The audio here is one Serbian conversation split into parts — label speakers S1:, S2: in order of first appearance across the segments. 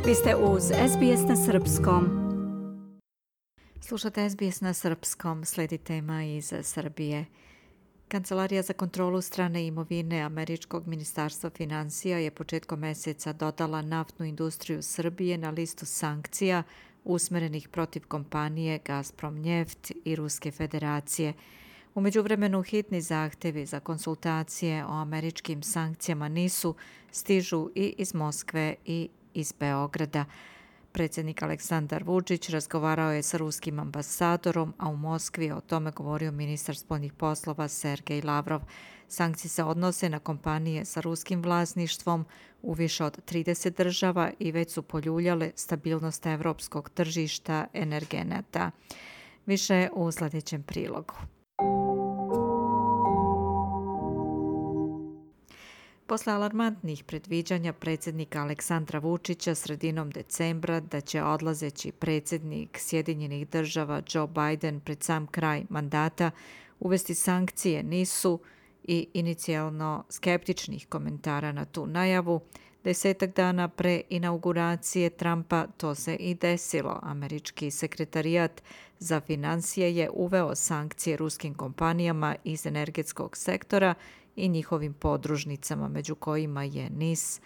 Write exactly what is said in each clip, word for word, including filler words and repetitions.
S1: Vi ste uz S B S na srpskom. Slušate S B S na srpskom, sledi tema iz Srbije. Kancelarija za kontrolu strane imovine Američkog ministarstva finansija je početkom meseca dodala naftnu industriju Srbije na listu sankcija usmerenih protiv kompanije Gazprom Njeft i Ruske federacije. U međuvremenu hitni zahtevi za konsultacije o američkim sankcijama nisu, stižu i iz Moskve i iz Beograda. Predsjednik Aleksandar Vučić razgovarao je sa ruskim ambasadorom, a u Moskvi je o tome govorio ministar spoljnih poslova Sergej Lavrov. Sankcije se odnose na kompanije sa ruskim vlasništvom u više od trideset država i već su poljuljale stabilnost evropskog tržišta energenata. Više u sljedećem prilogu. Posle alarmantnih predviđanja predsjednika Aleksandra Vučića sredinom decembra da će odlazeći predsjednik Sjedinjenih država Joe Biden pred sam kraj mandata uvesti sankcije nisu i inicijalno skeptičnih komentara na tu najavu, desetak dana pre inauguracije Trumpa to se i desilo. Američki sekretarijat za finansije je uveo sankcije ruskim kompanijama iz energetskog sektora i njihovim podružnicama, među kojima je N I S,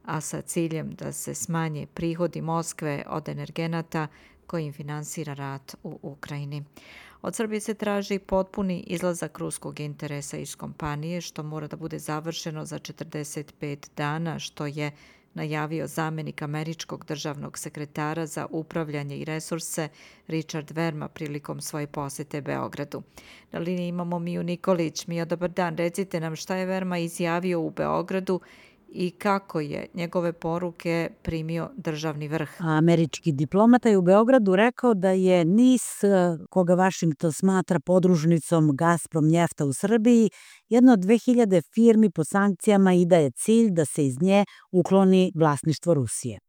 S1: a sa ciljem da se smanje prihodi Moskve od energenata kojim finansira rat u Ukrajini. Od Srbije se traži potpuni izlazak ruskog interesa iz kompanije, što mora da bude završeno za četrdeset pet dana, što je najavio zamjenik američkog državnog sekretara za upravljanje i resurse Richard Verma prilikom svoje posjete Beogradu. Na liniji imamo Miju Nikolić. Mija, dobar dan. Recite nam šta je Verma izjavio u Beogradu i kako je njegove poruke primio državni vrh.
S2: Američki diplomata je u Beogradu rekao da je N I S, koga Vašington smatra podružnicom Gazprom Njefta u Srbiji, jedna od dve hiljade firmi po sankcijama i da je cilj da se iz nje ukloni vlasništvo Rusije.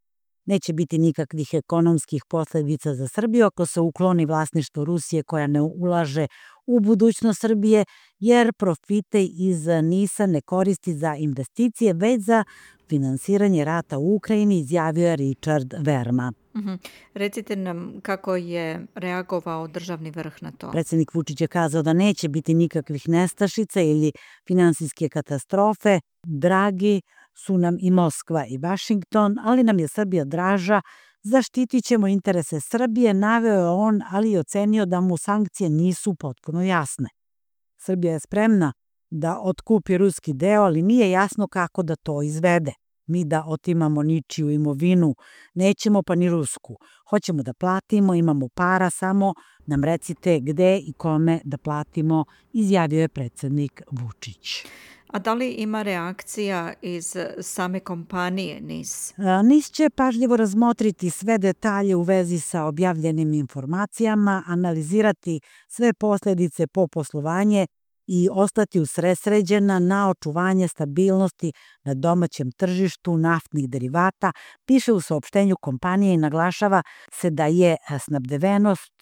S2: Neće biti nikakvih ekonomskih posljedica za Srbiju ako se ukloni vlasništvo Rusije koja ne ulaže u budućnost Srbije, jer profite iz N I S-a ne koristi za investicije, već za finansiranje rata u Ukrajini, izjavio je Richard Verma.
S1: Uh-huh. Recite nam kako je reagovao državni vrh na to.
S2: Predsjednik Vučić je kazao da neće biti nikakvih nestašica ili finansijske katastrofe. Dragi su nam i Moskva i Vašington, ali nam je Srbija draža, zaštitit ćemo interese Srbije, naveo je on, ali je ocenio da mu sankcije nisu potpuno jasne. Srbija je spremna da otkupi ruski deo, ali nije jasno kako da to izvede. Mi da otimamo ničiju imovinu nećemo, pa ni rusku. Hoćemo da platimo, imamo para, samo nam recite gde i kome da platimo, izjavio je predsjednik Vučić.
S1: A da li ima reakcija iz same kompanije N I S?
S2: N I S će pažljivo razmotriti sve detalje u vezi sa objavljenim informacijama, analizirati sve posljedice po poslovanje i ostati usredsređena na očuvanje stabilnosti na domaćem tržištu naftnih derivata, piše u saopštenju kompanije i naglašava se da je snabdevenost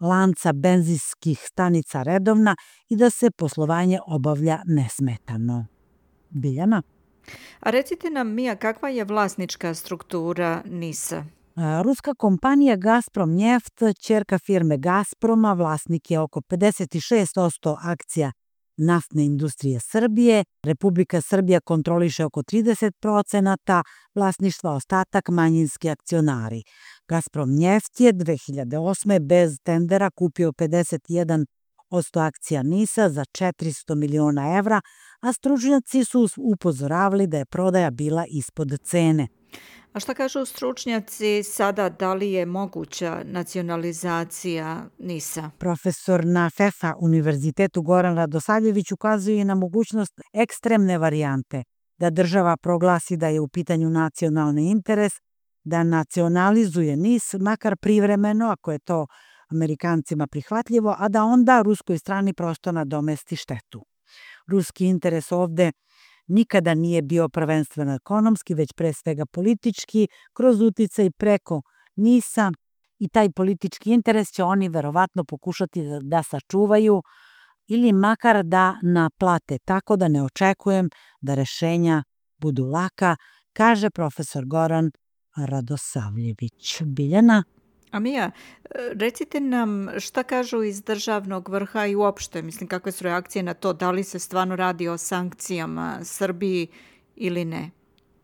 S2: lanca benzinskih stanica redovna i da se poslovanje obavlja nesmetano. Biljana?
S1: A recite nam, Mija, kakva je vlasnička struktura N I S-a?
S2: Ruska kompanija Gazprom Njeft, ćerka firme Gazproma, vlasnik je oko pedeset šest posto akcija naftne industrije Srbije. Republika Srbija kontroliše oko trideset procenata vlasništva, ostatak manjinski akcionari. Gazprom Njeft je dve hiljade osme bez tendera kupio pedeset jedan posto akcija N I S-a za četiristo miliona evra, a stručnjaci su upozoravali da je prodaja bila ispod cene.
S1: A šta kažu stručnjaci sada, da li je moguća nacionalizacija N I S-a?
S2: Profesor na F E F A univerzitetu Goran Radosavljević ukazuje na mogućnost ekstremne varijante, da država proglasi da je u pitanju nacionalni interes, da nacionalizuje N I S, makar privremeno, ako je to Amerikancima prihvatljivo, a da onda ruskoj strani prosto nadomesti štetu. Ruski interes ovde nikada nije bio prvenstveno ekonomski, već pre svega politički, kroz uticaj preko N I S-a, i taj politički interes će oni verovatno pokušati da sačuvaju ili makar da naplate, tako da ne očekujem da rešenja budu laka, kaže profesor Goran Radosavljević. Biljana?
S1: A Mija, recite nam šta kažu iz državnog vrha i uopšte, mislim, kakve su reakcije na to, da li se stvarno radi o sankcijama Srbiji ili ne?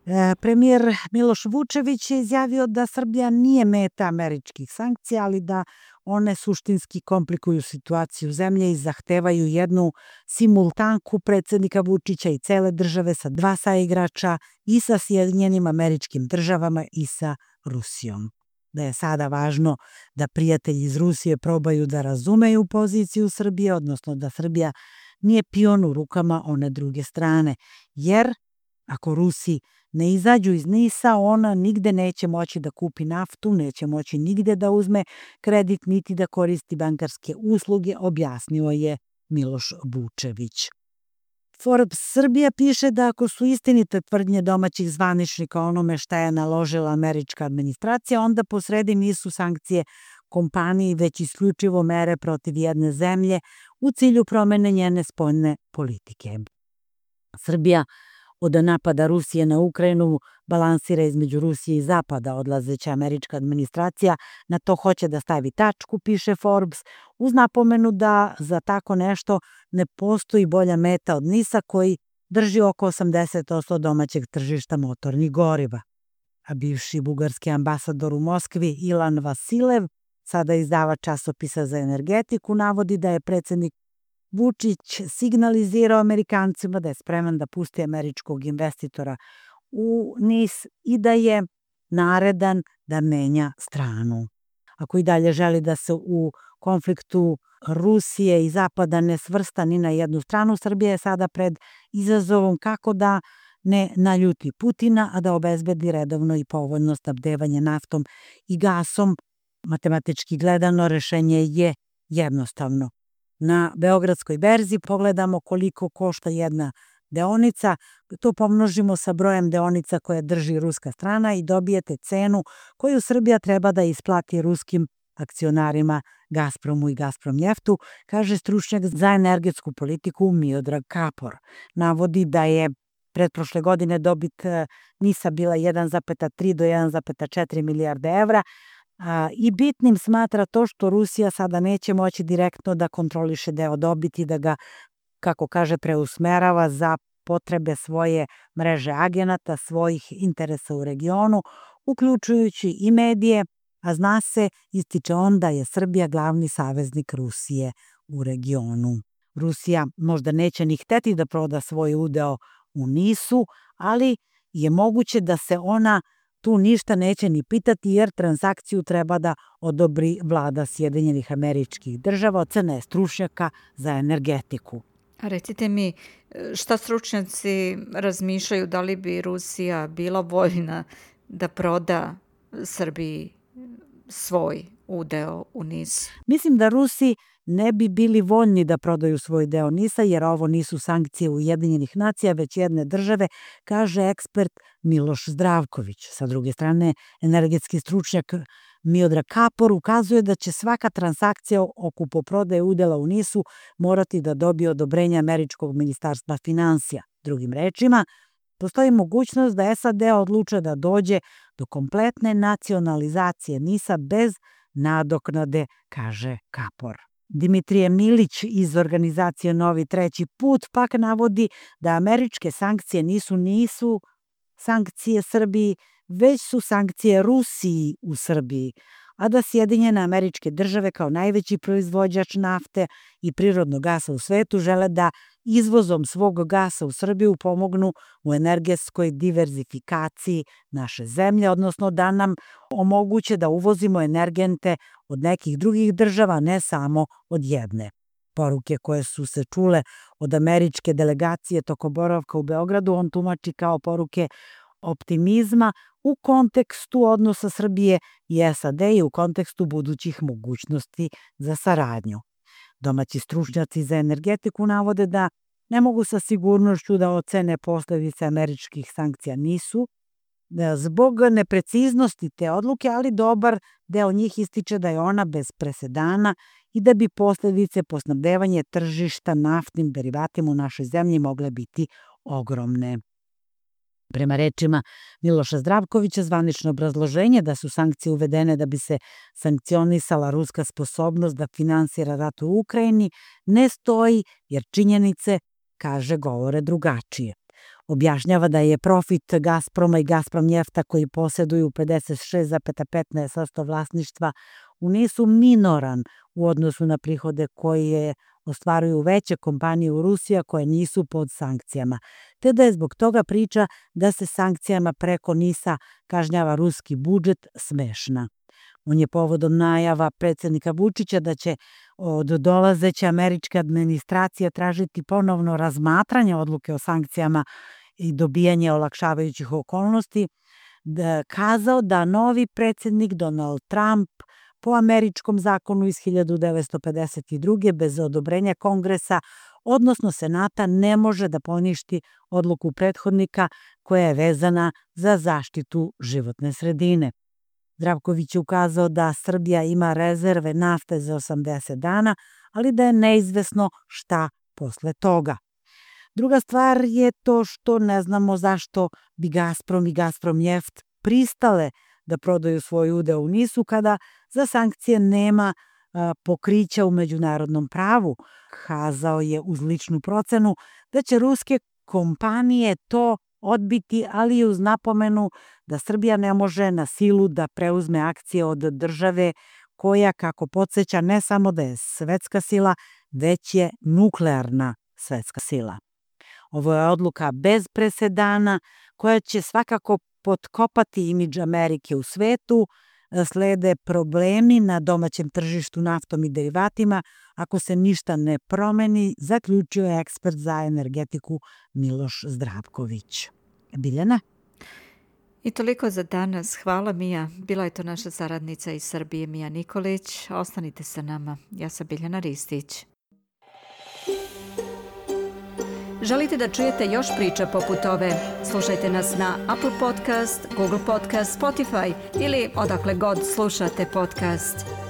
S2: E, premijer Miloš Vučević je izjavio da Srbija nije meta američkih sankcija, ali da one suštinski komplikuju situaciju zemlje i zahtevaju jednu simultanku predsednika Vučića i cele države sa dva saigrača i sa Sjedinjenim Američkim Državama i sa Rusijom. Da je sada važno da prijatelji iz Rusije probaju da razumeju poziciju Srbije, odnosno da Srbija nije pion u rukama one druge strane, jer ako Rusi ne izađu iz Nisa, ona nigde neće moći da kupi naftu, neće moći nigde da uzme kredit, niti da koristi bankarske usluge, objasnio je Miloš Vučević. Forbes Srbija piše da ako su istinite tvrdnje domaćih zvaničnika o onome šta je naložila američka administracija, onda posredi nisu sankcije kompaniji, već isključivo mere protiv jedne zemlje u cilju promene njene spoljne politike. Srbija od napada Rusije na Ukrajinu balansira između Rusije i Zapada. Odlazeća američka administracija na to hoće da stavi tačku, piše Forbes, uz napomenu da za tako nešto ne postoji bolja meta od Nisa koji drži oko osamdeset posto domaćeg tržišta motornih goriva. A bivši bugarski ambasador u Moskvi Ilan Vasilev, sada izdavač časopisa za energetiku, navodi da je predsednik Vučić signalizirao Amerikancima da je spreman da pusti američkog investitora u Nis i da je naredan da menja stranu. Ako i dalje želi da se u konfliktu Rusije i Zapada ne svrsta ni na jednu stranu, Srbija je sada pred izazovom kako da ne naljuti Putina, a da obezbedi redovno i povoljno snabdevanje naftom i gasom. Matematički gledano, rešenje je jednostavno. Na Beogradskoj berzi pogledamo koliko košta jedna deonica, to pomnožimo sa brojem deonica koje drži ruska strana i dobijete cenu koju Srbija treba da isplati ruskim akcionarima Gazpromu i Gazpromnjeftu, kaže stručnjak za energetsku politiku Miodrag Kapor. Navodi da je pretprošle godine dobit Nisa bila jedan zarez tri do jedan zarez četiri milijarde evra, A, i bitnim smatra to što Rusija sada neće moći direktno da kontroliše deo dobiti, da ga, kako kaže, preusmerava za potrebe svoje mreže agenata, svojih interesa u regionu, uključujući i medije, a zna se, ističe on, da je Srbija glavni saveznik Rusije u regionu. Rusija možda neće ni hteti da proda svoj udeo u Nisu, ali je moguće da se ona tu ništa neće ni pitati jer transakciju treba da odobri vlada Sjedinjenih Američkih Država, ocena je stručnjaka za energetiku.
S1: A recite mi, šta stručnjaci razmišljaju, da li bi Rusija bila voljna da proda Srbiji svoj udeo u Nisu?
S2: Mislim da Rusi ne bi bili voljni da prodaju svoj deo Nisa, jer ovo nisu sankcije Ujedinjenih nacija, već jedne države, kaže ekspert Miloš Zdravković. Sa druge strane, energetski stručnjak Miodrag Kapor ukazuje da će svaka transakcija o kupoprodaji udela u Nisu morati da dobije odobrenje Američkog ministarstva finansija. Drugim rečima, postoji mogućnost da S A D odluče da dođe do kompletne nacionalizacije Nisa bez nadoknade, kaže Kapor. Dimitrije Milić iz organizacije Novi treći put pak navodi da američke sankcije nisu nisu sankcije Srbiji, već su sankcije Rusiji u Srbiji, a da Sjedinjene Američke Države kao najveći proizvođač nafte i prirodnog gasa u svetu žele da izvozom svog gasa u Srbiju pomognu u energetskoj diverzifikaciji naše zemlje, odnosno da nam omoguće da uvozimo energente od nekih drugih država, ne samo od jedne. Poruke koje su se čule od američke delegacije tokom boravka u Beogradu on tumači kao poruke optimizma u kontekstu odnosa Srbije i S A D i u kontekstu budućih mogućnosti za saradnju. Domaći stručnjaci za energetiku navode da ne mogu sa sigurnošću da ocene posledice američkih sankcija nisu, zbog nepreciznosti te odluke, ali dobar deo njih ističe da je ona bez presedana i da bi posledice po snabdevanje tržišta naftnim derivatima u našoj zemlji mogle biti ogromne. Prema rečima Miloša Zdravkovića, zvanično obrazloženje da su sankcije uvedene da bi se sankcionisala ruska sposobnost da finansira rat u Ukrajini ne stoji jer činjenice, kaže, govore drugačije. Objašnjava da je profit Gazproma i Gazprom Njefta, koji posjeduju pedeset šest zarez petnaest posto vlasništva u NIS-u, minoran u odnosu na prihode koje ostvaruju veće kompanije u Rusiji koje nisu pod sankcijama, te da je zbog toga priča da se sankcijama preko NIS-a kažnjava ruski budžet smešna. On je povodom najava predsjednika Vučića da će od dolazeće američke administracije tražiti ponovno razmatranje odluke o sankcijama i dobijanje olakšavajućih okolnosti, da kazao da novi predsjednik Donald Trump po američkom zakonu iz hiljadu devetsto pedeset druge bez odobrenja Kongresa, odnosno Senata, ne može da poništi odluku prethodnika koja je vezana za zaštitu životne sredine. Zdravković je ukazao da Srbija ima rezerve nafte za osamdeset dana, ali da je neizvesno šta posle toga. Druga stvar je to što ne znamo zašto bi Gazprom i Gazprom Njeft pristale da prodaju svoj udeo u NIS-u kada za sankcije nema a, pokrića u međunarodnom pravu. Kazao je uz ličnu procenu da će ruske kompanije to odbiti, ali i uz napomenu da Srbija ne može na silu da preuzme akcije od države koja, kako podsjeća, ne samo da je svetska sila, već je nuklearna svetska sila. Ovo je odluka bez presedana koja će svakako potkopati imidž Amerike u svetu, slede problemi na domaćem tržištu naftom i derivatima ako se ništa ne promeni, zaključio je ekspert za energetiku Miloš Zdravković. Biljana?
S1: I toliko za danas. Hvala, Mija. Bila je to naša saradnica iz Srbije, Mija Nikolić. Ostanite sa nama. Ja sam Biljana Ristić. Želite da čujete još priča poput ove? Slušajte nas na Apple Podcast, Google Podcast, Spotify ili odakle god slušate podcast.